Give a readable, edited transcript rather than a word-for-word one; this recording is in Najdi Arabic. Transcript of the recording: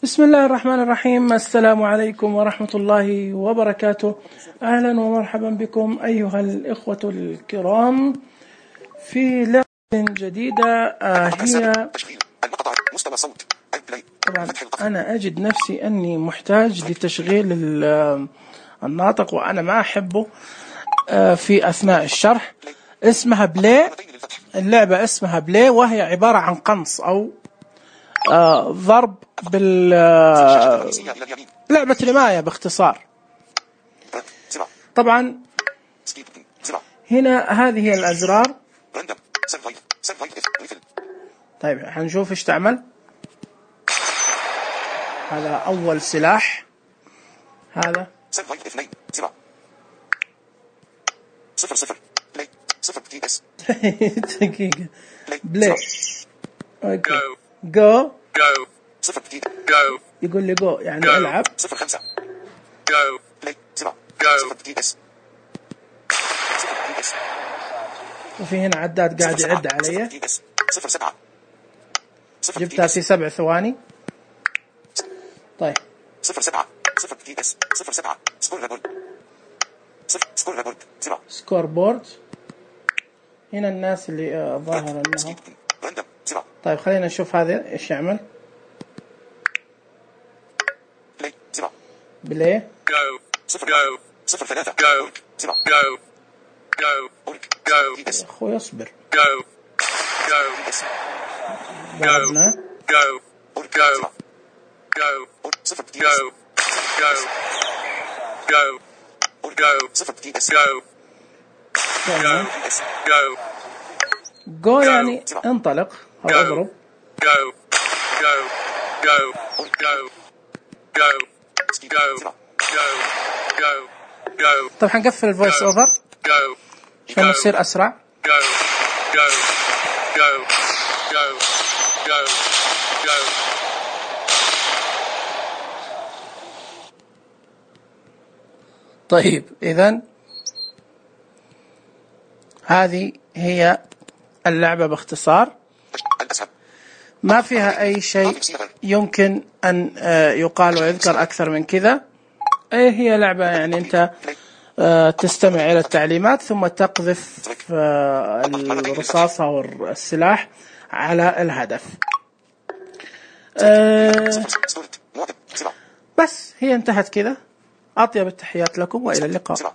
بسم الله الرحمن الرحيم. السلام عليكم ورحمة الله وبركاته. أهلا ومرحبا بكم أيها الإخوة الكرام في لعبة جديدة. هي طبعا أنا أجد نفسي أني محتاج لتشغيل الناطق وأنا ما أحبه في أثناء الشرح. اسمها بلاي، اللعبة اسمها بلاي، وهي عبارة عن قنص أو ضرب لعبة رماية باختصار. طبعا هنا هذه هي الأزرار. طيب حنشوف ايش تعمل. هذا أول سلاح، هذا دقيقة بلاي. اوكي جو يقول لي جو يعني العب. وفي هنا عداد قاعد يعد علي. جبتها في 7 ثواني. طيب سكور بورد. هنا الناس اللي ظاهر انهم. طيب خلينا نشوف هذا ايش يعمل. بلاي يا اخوي اصبر. ضربنا. جو يعني انطلق او اضرب. طب حنقفل الفويس اوفر عشان يصير اسرع. طيب إذن هذه هي اللعبة باختصار، ما فيها أي شيء يمكن أن يقال ويذكر أكثر من كذا. هي لعبة يعني أنت تستمع إلى التعليمات ثم تقذف الرصاص أو السلاح على الهدف. بس هي انتهت كذا. أطيب التحيات لكم وإلى اللقاء.